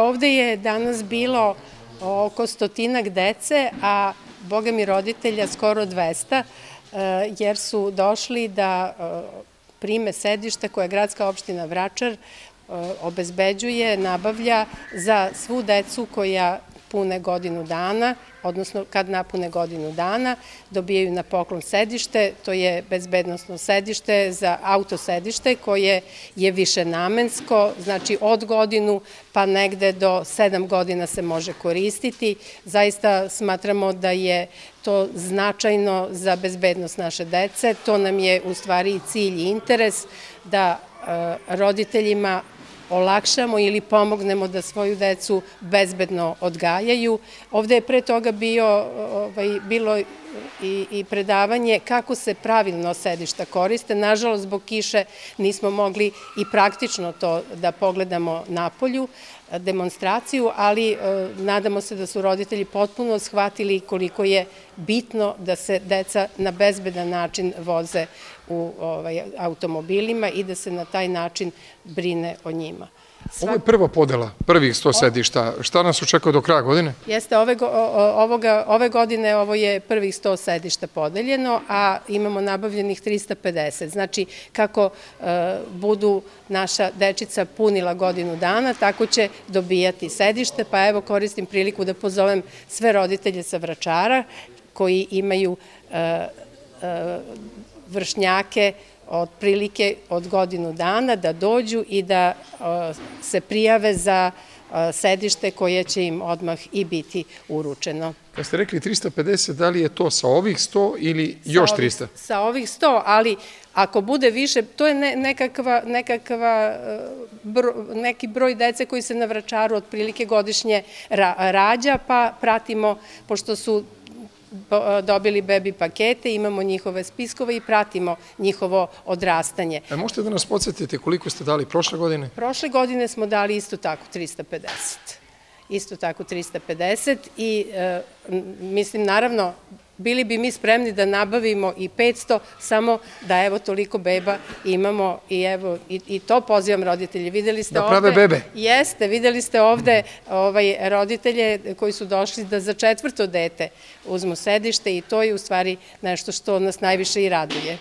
ovde je danas bilo oko 100-ak dece, a boga mi roditelja skoro 200, jer su došli da prime sedište koje gradska opština Vračar obezbeđuje, nabavlja za svu decu koja pune godinu dana, odnosno kad napune godinu dana, dobijaju na poklon sedište. To je bezbednosno sedište za auto sedište koje je višenamensko, znači od godinu pa negde do 7 godina se može koristiti. Zaista smatramo da je to značajno za bezbednost naše dece. To nam je u stvari i cilj i interes da roditeljima olakšamo ili pomognemo da svoju decu bezbedno odgajaju. Ovde je pre toga bilo i predavanje kako se pravilno sedišta koriste. Nažalost, zbog kiše nismo mogli i praktično to da pogledamo napolju, demonstraciju, ali nadamo se da su roditelji potpuno shvatili koliko je bitno da se deca na bezbedan način voze u automobilima i da se na taj način brine o njima. Ovo je prva podela, prvih 100 sedišta. Šta nas očekuje do kraja godine? Jeste, ove godine ovo je prvih 100 sedišta podeljeno, a imamo nabavljenih 350. Znači, kako budu naša dečica punila godinu dana, tako će dobijati sedište, pa evo koristim priliku da pozovem sve roditelje sa Vračara koji imaju vršnjake otprilike od godinu dana da dođu i da se prijave za sedište koje će im odmah i biti uručeno. Kad ste rekli 350, da li je to sa ovih 100 ili još 300? Sa ovih 100, ali ako bude više, to je neki broj dece koji se na Vračaru otprilike godišnje rađa, pa pratimo, pošto su dobili bebi pakete, imamo njihove spiskove i pratimo njihovo odrastanje. Možete da nas podsjetite koliko ste dali prošle godine? Prošle godine smo dali isto tako 350. Isto tako 350 i mislim, naravno, bili bi mi spremni da nabavimo i 500, samo da evo toliko beba imamo i evo i to pozivam roditelje. Videli ste ovde... Da prave bebe? Jeste, videli ste ovde roditelje koji su došli da za 4. dete uzmu sedište i to je u stvari nešto što nas najviše i raduje.